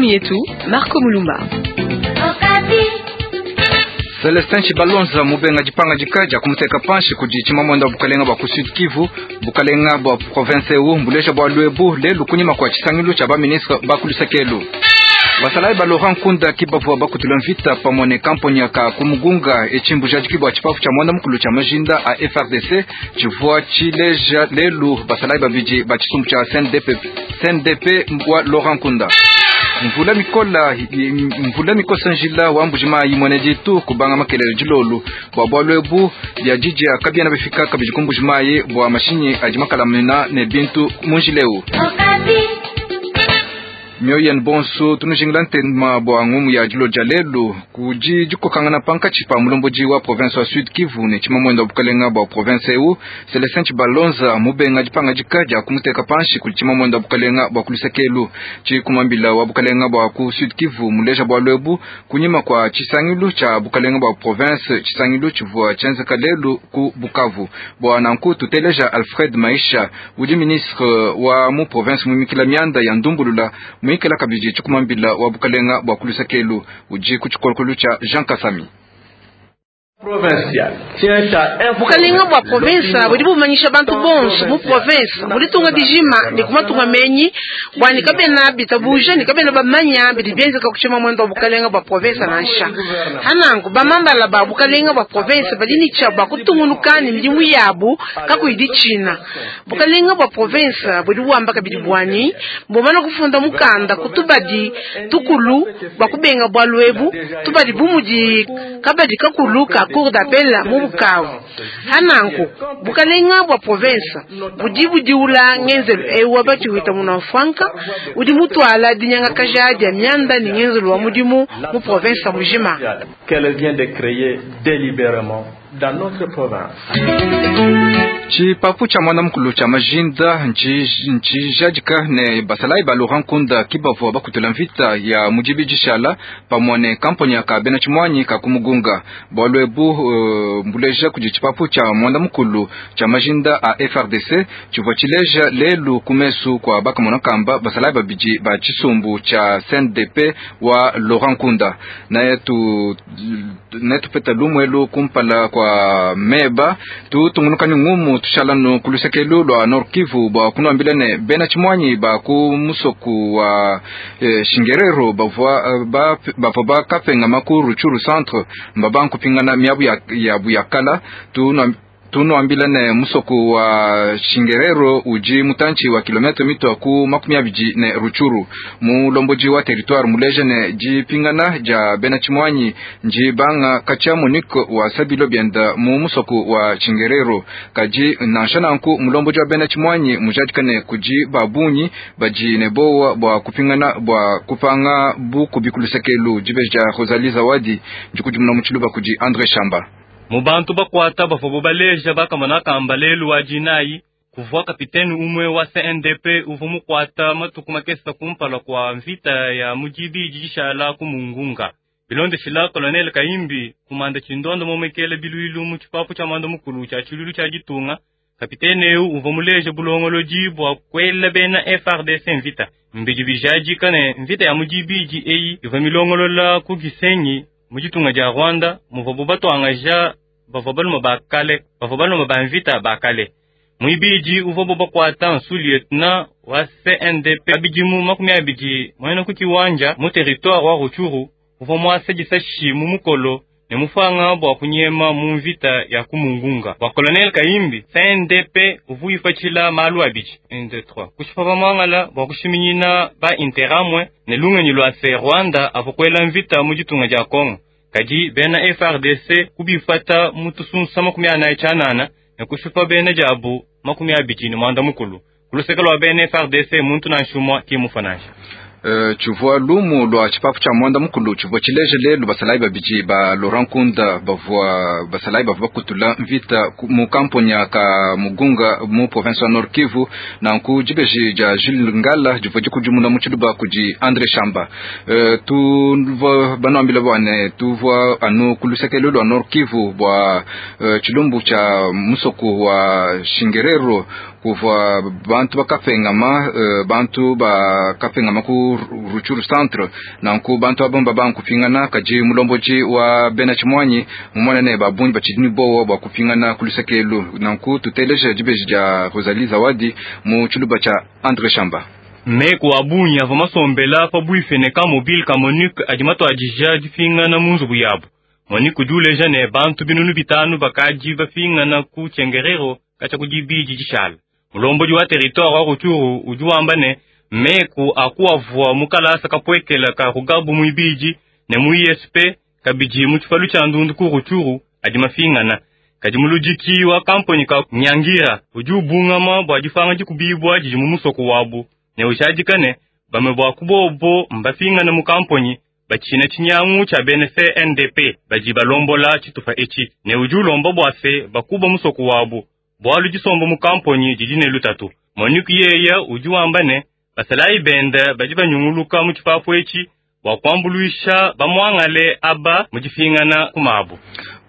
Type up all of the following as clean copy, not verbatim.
Ngumu yetu Marco Mulumba. Celestin Tshibalonza mubenga dipangadika dia kumuteka panshi kudi tshimamwenda wa bukalenga bua ku Sud Kivu. Bukalenga bua province eu mbuleja bualu ebu lelu kunyima kua tshisangilu tshia ba ministre ba ku luseke Basalayi ba Laurent Nkunda ki bavua bakutula mvita pamue ne kamponya ka ku Mugunga. Etshi mbujadiki bua tshipapu tshia muanda mukulu tshia majinda a FARDC tshivua tshileja lelu basalayi babidi ba tshisumbu tshia CNDP, CNDP wa Laurent Nkunda. Mvula mikola mvula mikosa njila wa Mbujimayi muene ditu kubanga makelele dilolu bua bualu ebu bia didia kabiena bifika kabidi ku Mbujimayi bua mashinyi adi makalamina ne bintu mu njila eu. Mioyo yenu bonso tunujingila ntema bua ngumu ya dilo dia lelu kudi dikokangana pankatshi pa mulombodi wa province wa Sud Kivu ne tshimamwenda wa bukalenga bua province eu Celestin Tshibalonza mubenga dipangadika dia kumuteka panshi kudi tshimamwenda wa bukalenga bua kuluseke tshikumambila wa bukalenga bua ku Sud Kivu muleja bualu ebu kunyima kua tshisangilu tshia bukalenga bua province tshisangilu tshivua tshienzeka lelu ku Bukavu. Bua nanku tuteleja Alfred Maisha udi ministre wa mu province muimikila mianda ya ndumbulula muikala kabidi tshikumambila wa bukalenga bua kuluseke udi ku tshikolokolo tshia Jean Kasami. Bukalenga bua province budi bumanyisha bantu bonso mu province mu ditunga dijima ne ku matunga menyi bua ne kabena bitabuja ne kabena bamanya bidi bienzeka ku tshimamwenda wa bukalenga bua province nansha. Hananku bamambala ba bukalenga bua province badi ne tshia bua kutungunuka ne midimu yabu kakuyi ditshina. Bukalenga bua province budi buamba kabidi buani mbumana kufunda mukanda ku tubadi tukulu bua kubenga bualu ebu tubadi bu mudi kabadi kakulu ka cour d'appel mu Bukavu. Hananku bukalenga bua province budi budiula ngenzelu eu wa batshiwita muna mfwanka udi mutwala dinyangakaja dia mianda ne ngenzelu wa mudimu mu province mujima. Qu'elle vient de créer délibérément dans notre province. Tshipapu tshia muanda mukulu tshia majinda ntshijadika ne basalayi ba Laurent Nkunda ki bavua bakutula mvita ya mudibi dishala pamue ne kamponya ka bena tshimuanyi ka ku Mugunga. Bualu ebu mbuleja kudi tshipapu tshia muanda mukulu tshia majinda a FARDC tshivua tshileja lelu ku mesu kua bakamona kamba basalayi babidi ba tshisumbu tshia CNDP wa Laurent Nkunda. Netupeta lumuelu kumpala kua meba tutungunuka ne ngumu tushalanu ku lusekelu lua Nord Kivu bua kunuambila ne bena tshimuanyi ba ku musoku wa Shingerero bavua bavua bakapengama ku Rutshuru centre mbabankupingana miabu yabu ya kala. Tunuambila ne musoku wa Shingerero udi mutantshi wa kilometre mitua ku 20 ne Rutshuru. Mulombodi wa territoire muleja ne dipingana dia bena tshimuanyi ndibanga katshia Monique wa Sabilo bienda mu musoku wa Shingerero. Kadi nansha nanku mulombodi wa bena tshimuanyi mujadika ne kudi babunyi badi ne bowa bua kupingana bua kupanga bukubi ku lusekelu. Dibeji dia Rosalie Zawadi ndikudimuna mu tshiluba kudi Andre Shamba. Mu bantu bakwata bavua baleja bakamona kamba lelu wa dinayi kuvua kapitene umwe wa CNDP uvua mukwata matuku makesa kumpala kua mvita ya mudibi dishala ku Mungunga. Bilondeshila Colonel Kaimbi kumanda tshindondo momekele biluilu mu tshipapu tshia mwanda mukulu tshia tshiluilu tshia ditunga. Kapitene eu uvua muleja bulongolodi bua kuela bena FARDC mvita. Mbidi bijadika ne mvita ya mudibidi eyi ivua milongolola ku Gisenyi mu ditunga dia Rwanda muvua batwangaja bavua baluma bakale bavua baluma ba mvita bakale. Muibidi uvua bakwata nsu lieutenant wa CNDP abidimu 20 mwena ku kiwanja mu territoire wa Rutshuru uvua muasa disashi mu mukolo ne mufanga bua kunyema mu mvita ya ku Mungunga. Bua Colonel Kaimbi CNDP uvua ifatshila malu abidi 1 2 3 kushipa bamwangala bua kushiminyina ba interamwe ne lungenyi lua se Rwanda avua kuela mvita mu ditunga dia Congo. Kadi bena FARDC kubifata mu tusunsa 48 ne kushipa bena diabu 29. Kuluseke lua bena FARDC muntu nansha umue kimufa nansha. Tshivua lumu lua tshipapu tshia muanda mukulu tshivua tshileja lelu basalayi babidi ba Laurent Nkunda bavua basalayi bavua bakutula mvita mu kamponya ka Mugunga mu province wa Nord Kivu. Nanku dibeji dia Jules Ngala divua dikudimuna mu tshiluba kudi Andre Shamba. Tuvua banuambila bua ne tuvua anu ku luseke lua Nord Kivu bua tshilumbu tshia musoku wa Shingerero. Kuvua bantu bakapengama, bantu bakapengama ku Rutshuru centre. Nanku bantu aba mbabanga kupingana, kadi mulombodi wa bena tshimuanyi mumona ne ba bungi batshidi ne bowa bua kupingana ku luseke elu. Nanku tuteleje dibeji dia Rosalie Zawadi mu tshiluba tshia Andre Shamba. Meku a bungi avua masombela pabuipi ne camp mobile ka MONUC adi matuadija dipingana mu nzubu yabu. MONUC udi uleja ne bantu 5000 bakadi bapingana ku Tchengerero katshia ku dibidi dishala. Mulombodi wa territoire wa Rutshuru udi wamba ne meku akuavua mu kalasa kapuekela ka Rugabu muibidi ne mu ISP kabidi mu tshipalu tshia ndundu ku Rutshuru adi mapingana. Kadi muludiki wa kampani ka Nyangira udi ubungama bua dipanga dikubibua didi mu musoko wabu ne ujadika ne bamue bua kubobo mbapingana mu kampani batshina tshinyangu tshia bena CNDP badi balombola tshitupa etshi ne udi ulomba bua se bakuba musoko wabu bualu disomba mu kampani didi ne lutatu. MONUC yeya udi wamba ne basalayi benda badi banyunguluka mu tshipapu etshi bua kuambuluisha bamuangale aba mu dipingana ku mabu.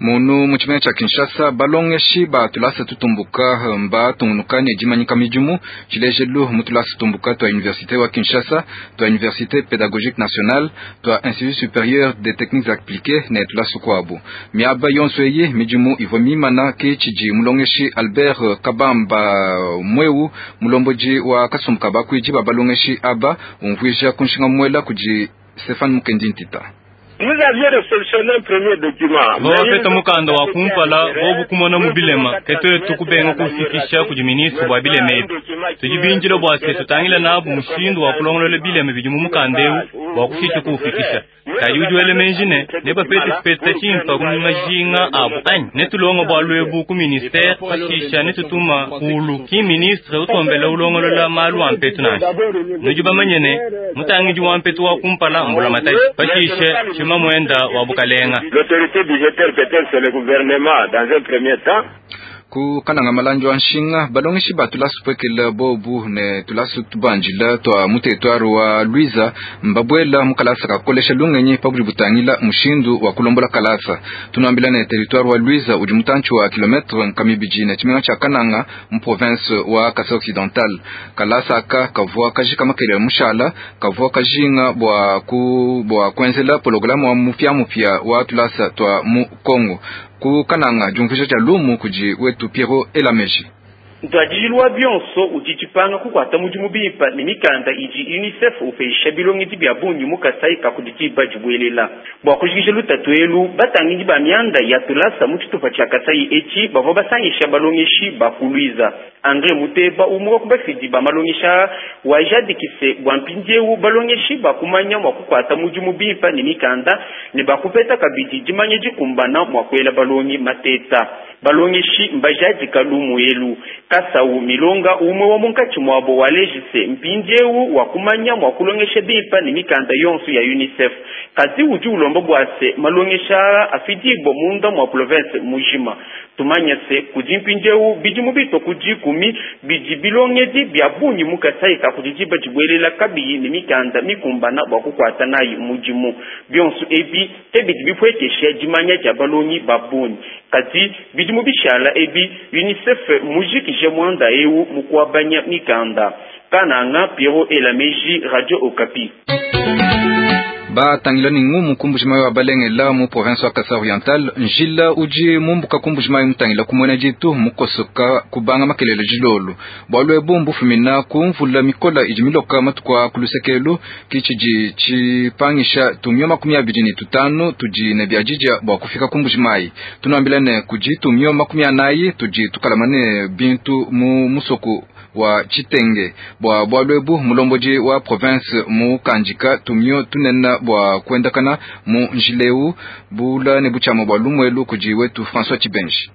Munu mu tshimenga tshia Kinshasa, balongeshi ba tulasa tutumbuka mbatungunuka ne dimanyika midimu. Tshilejelu mu tulasa tutumbuka tua Université wa Kinshasa, tua Université Pédagogique Nationale, tua Institut Supérieur des Techniques Appliquées ne tulasa tukuabu. Miaba yonso eyi midimu ivua mimana ke tshidi mulongeshi Albert Kabamba Mweu, mulombodi wa kasumbu ka bakuidi ba balongeshi aba, umvuija ku nshinga muela kudi Stéphane Mukendi Ntita. Bawapeta mukanda wa kumpala bobu kumona mu bilema ke tuetu kubenga kufikisha kudi ministre bua bilema ebi. Tudi bindile bua se tutangila nabu mushindu wa kulongolola bilema bidi mu mukanda eu bua kushisha kuufikisha. Kadi udi wela meji ne nebapete tshipeta tshimpe ku majinga abu anyi? Netulonga bualu ebu ku ministere pashisha netutuma kulu. Ki ministre utombela ulongolola malu a mpetu nansha. Nudi bamanye ne mutangidi wa mpetu wa kumpala mbulamatadi pashishe tshima mwenda wa bukalenga. L'autorité budgétaire peut-être c'est le gouvernement dans un premier temps. Ku kananga malanjo wa nshinga balongeshi ba tulasa pwekela bobu ne tulasa tubanjila tua mu territoire wa Luiza mbabuela mu kalasa kakolesha lungenyi pa budi butangila mushindu wa kulombola kalasa. Tunuambila ne territoire wa Luiza udi mutantshi wa kilometre nkamibidi ne tshimenga tshia Kananga mu province wa Kasai Occidental. Kalasa aka kavua kajika makelele mushala kavua kajinga bua ku bua kuenzela programme wa mupia wa tulasa tua mu Congo. Ku kananga diumvuija dia lumu kudi wetu Piero Elameji. Ntuadijilu wa bionso udi tshipanga kukuata mudimu bimpe ne mikanda idi UNICEF upesha bilongedi bia bungi mu Kasai ka kudi diba dibuelela. Bua kujikija lutatu elu, batangidi ba mianda ya tulasa mu tshitupa tshia Kasai etshi bavua basangisha balongeshi ba ku Luiza. Andre Muteba umwe wa ku bafidi ba malongesha wajadikise bua mpindieu balongeshi bakumanya mua kukuata mudimu bimpe ne mikanda ne bakupeta kabidi dimanya dikumbana mua kuela balongi mateta. Balongeshi mbajadika lumu elu. Kasau Milonga umwe wa munkatshi muabo walejise mpindieu wa kumanya mua kulongesha bimpe ne mikanda yonso ya UNICEF. Kadi udi ulomba bua se malongesha afidibwa munda mua province mujima. Tumanya se kudi mpindieu bidimu bitwa ku dikumi bidi bilongedi bia bungi mu Kasai ka kudi diba dibuelela kabiyi ne mikanda mikumbana bua kukuata nayi mudimu. Bionso ebi ke bidi bipuekesha dimanya dia balongi ba bungi. Kadi bidimu bishala ebi UNICEF mujikije mwanda eu mu kuabanya mikanda. Kananga Piero Elameji, Radio Okapi. Batangila ni ngumu ku Mbujimayi wa Balengela mu province wa Kasai Oriental. Njila udi mumbuka ku Mbujimayi mutangila ku mwena ditu mukosoka kubanga makelele dilolo. Bualu ebu mbufumina ku mvula mikola idi miloka matuku a ku lusekelu ki tshidi tshipangisha tumio 25 tudi ne biadidia bua kufika ku Mbujimayi. Tunuambila ne kudi tumio 40 tudi tukalama ne bintu mu musoku wa Tshitenge. Bua bualu ebu mulombodi wa province mu kandika tumio tunena bua kuendakana mu njileu bula ne butshiama bua lumuelu kudi wetu François Tshibenji.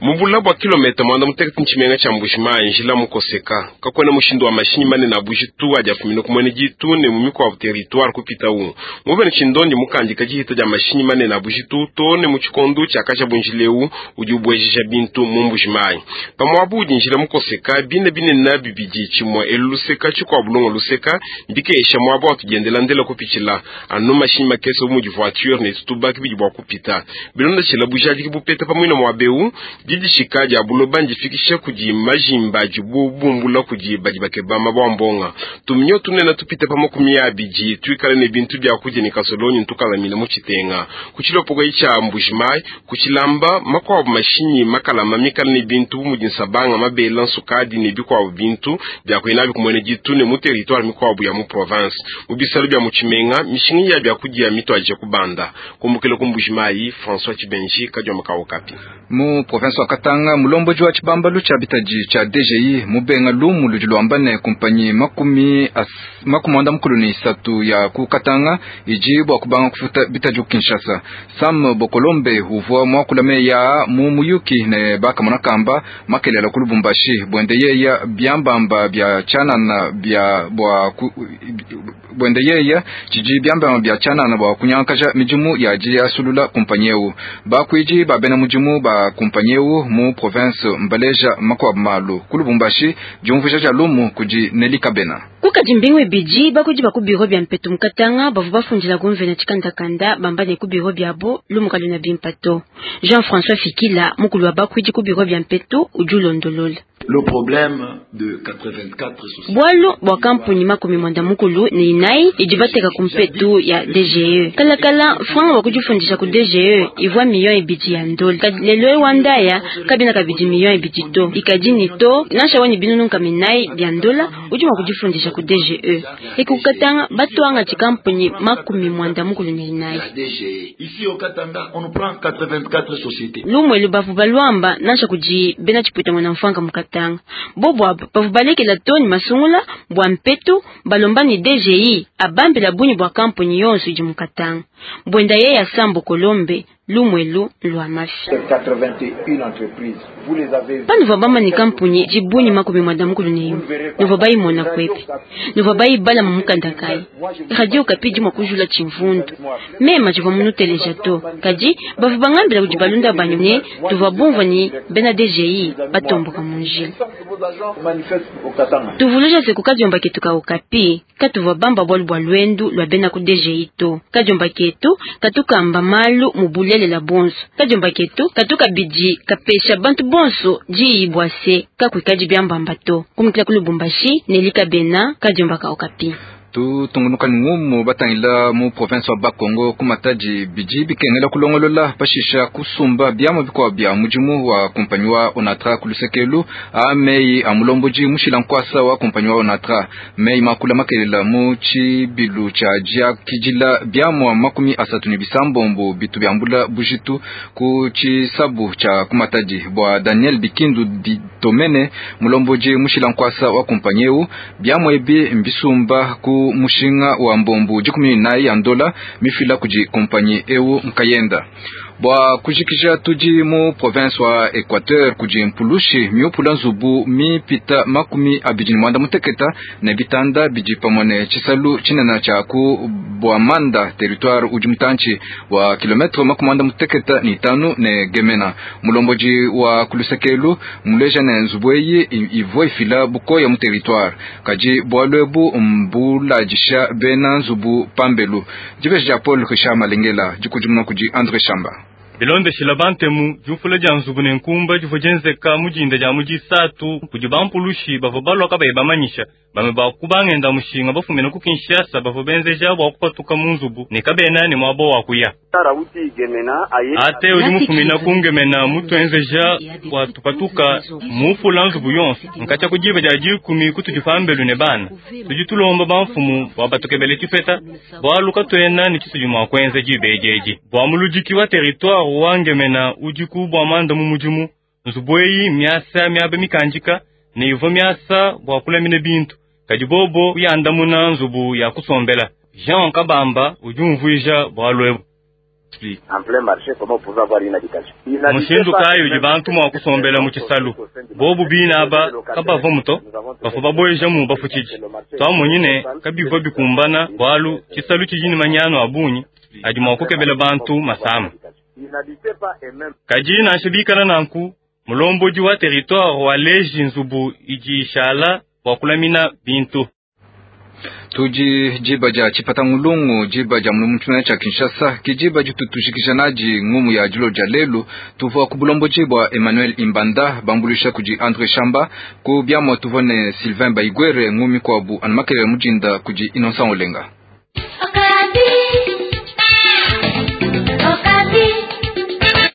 Mubula bua kilomita mwanda mutekete ntshimenga tshia Mbujimayi njila mukoseka kakuena mushindu wa mashinyi manene a bujitu adi afumina ku mwene ditu ne mu mikuabu territoire kupitawu mubene tshindondi mukandika dihita dia mashinyi manene a bujitu to ne mu tshikondu tshiakaja bunjileu udi ubuejija bintu mu Mbujimayi. Pamuabu udi njila mukoseka bine binene bibidi tshimue elu luseka tshikuabu lunga luseka mbikesha muaba wa tudiendela ndela kupitshila anu mashinyi makese bu mudi voiture ne tutubaki bidi bua kupita bilonda tshila bujadiki bupeta pamuina muabeu. Didishika dia buloba ndifikisha kudi majimba adibu bumbula kudi badi bakeba mabua mbonga. Tuminyo tunene tupite pa 20 tuikale ne bintu bia kudia ne kasolonyi ntukalamina mu tshitenga. Ku tshilopokoyi tshia Mbujimayi, ku tshilamba makuabu mashinyi makalama mikale ne bintu bu mudi nsabanga, mabela, nsukadi ne bikuabu bintu bia kuya nabi ku muena ditu ne mu territoire mikuabu ya mu province. Mu bisalu bia mu tshimenga, mishinga ya bia kudia mituadije kubanda. Kumbukila ku Mbujimayi, François Tshibenji, Kadiomba ka Okapi. Mu province wa Katanga, mulomboji wa tshibambalu tshia bitadi tshia DGI mubenga lumu ludi luamba ne kumpanyi 53 ya ku Katanga idi bua kubanga kufuta bitadi ku Kinshasa. Sam Bokolombe uvua muakula meya mu muyuki ne bakamona kamba makelela ku Lubumbashi bwende yeya biambamba bia tshianana bia bua bwende yeya tshidi biambamba bia tshianana bua kunyangakaja midimu ya diasulula kumpanyi eu. Bakuidi ba bena mudimu ba kumpanyi eu mu province mbaleja makuabu malu ku Lubumbashi. Diumvuija dia lumu kudi Nelly Kabena. Kukadi mbingu ibidi bakudi ba ku biro bia mpetu mu Katanga bavua bafundila gomvena tshikandakanda bamba ne ku biro biabo lumu kaluna bimpa to. Jean-François Fikila mukulu wa bakuidi ku biro bia mpetu udi ulondolola. Le problème de 84 Bwalu bwa kampuni 94 idi bateka ku mpetu ya DGE. Kalakala franga wa kujifundisha ku DGE ivwa 2 millions ya ndola. Lelo ewandaya kabina kabidi 2 millions to. Ikadi ni to nansha wani binunu kaminai bya ndola udi mwa kujifundisha ku DGE. Ekukatanga batwanga chikampuni 94. Ici au Katanga, on nous prend 84 sociétés. Lumwe lubavu balwamba nansha kuji bena chiputa mwana mfanga mukatanga. Bobo aba bavu balekela toni masungula bwa mpetu balomba ni DGI abambela bunyi bwa kampuni yonso idi mukatanga. Bwenda ye ya Sambo Kolombe lumwelu lwa mafi. 81 entreprises. Vous les avez Panu bama ni kampuni jibunyi 91. Nuva bayimona kwepi. Nuva bayibala mu mukanda kai. Radio Okapi dimwa kujula chimvundu. Mema jiva munuteleja to. Kadi bavu bangambila kudi balunda banyu ne tuva bumva ni bena DGI batomboka mu njila. Tuvuluja se kukadiomba ketu ka Okapi katuva bamba bwalu bwa lwendu lwa bena ku DGI to. Kadiomba ketu katukamba malu mu bulelela bonso. Kadiomba ketu katuka bidi kapesha bantu bonso diyi se kakuikadi biambamba to. Kumikila ku Lubumbashi Nelly Kabena kadiomba ka Okapi. Tutungunuka ni ngumu batangila mu province wa Bakongo ku Matadi bidi bikengela kulongolola pashisha kusumba biamua bikuabu bia mudimu wa kumpanyi wa Onatra ku lusekelu a meyi a mulomboji mushila nkwasa wa kumpanyi wa Onatra. Meyi makula makelela mu tshibilu tshia diakidila biamua 36 bitu biambula bujitu ku tshisabu tshia ku Matadi bua Daniel Bikindu Ditomene mulomboji mushila nkwasa wa kumpanyi eu. Biamua ebi mbisumba ku mushinga wa mbombu 14 ya ndola mifila kudi kumpanyi eu nkayenda. Bua kujikija tudi mu province wa Equateur kudi mpulushi miupula nzubu mipita 28 ne bitanda bidi pamue ne tshisalu tshinene tshia ku Bwamanda, territoire udi mutantshi wa kilometre 95 ne Gemena. Mulomboji wa kulusekelu muleja ne nzubu eyi ivua ifila bukoya mu territoire, kadi bualu ebu mbuladisha bena nzubu pambelu. Dibeji dia Paul Richard Malengela dikudimuna kudi André Shamba. Bilondeshila bantemu diufula dia nzubu ne nkumba divua dienzeka mu dinda dia mu disatu kudi bampulushi bavua balua kabayi bamanyisha. Bamue bakubangenda mushinga bafumina ku Kinshasa bavua benzeja bua kupatuka mu nzubu ne kabena ne muaba wa kuya. Ate udi mufumina ku Ngemena mutuenzeja bua tupatuka mufula nzubu yonso nkatsha ku diba dia 10 kutudi pambelu ne bana. Tudi tulomba bamfumu bua batukebele tshipeta bualu katuena ne tshitudi mua kuenza diba edi bua muludiki wa territoire wa Ngemena udi ku bua manda mu mudimu. Nzubu eyi miasa miaba mikandika ne ivua miasa bua kulamina bintu, kadi bobo kuyandamuna nzubu ya kusombela. Jean Kabamba udi umvuija bualu ebu. Mushindu kayi udi bantu mua kusombela mu tshisalu? Bobu bina aba kabavua muto bavua babuejamu bafutshidi. Twamonyi ne kabivua bikumbana bualu tshisalu tshidi ne manyanu a bungi adi mua kukebela bantu masama. Kadi nansha bikala nanku, mulombodi wa territoire waleji nzubu idi ishala bua kulamina bintu. Tudi diba dia tshipatangulungu, diba dia mu tshimenga tshia Kinshasa, ke diba ditu tujikija nadi ngumu ya dilo dia lelu. Tuvua ku bulombodi bua Emmanuel Imbanda, bambuluisha kudi Andre Shamba, ku biamua tuvua ne Sylvain Baigwere, ngumu mikuabu anu makelela mudinda kudi Innocent Olenga.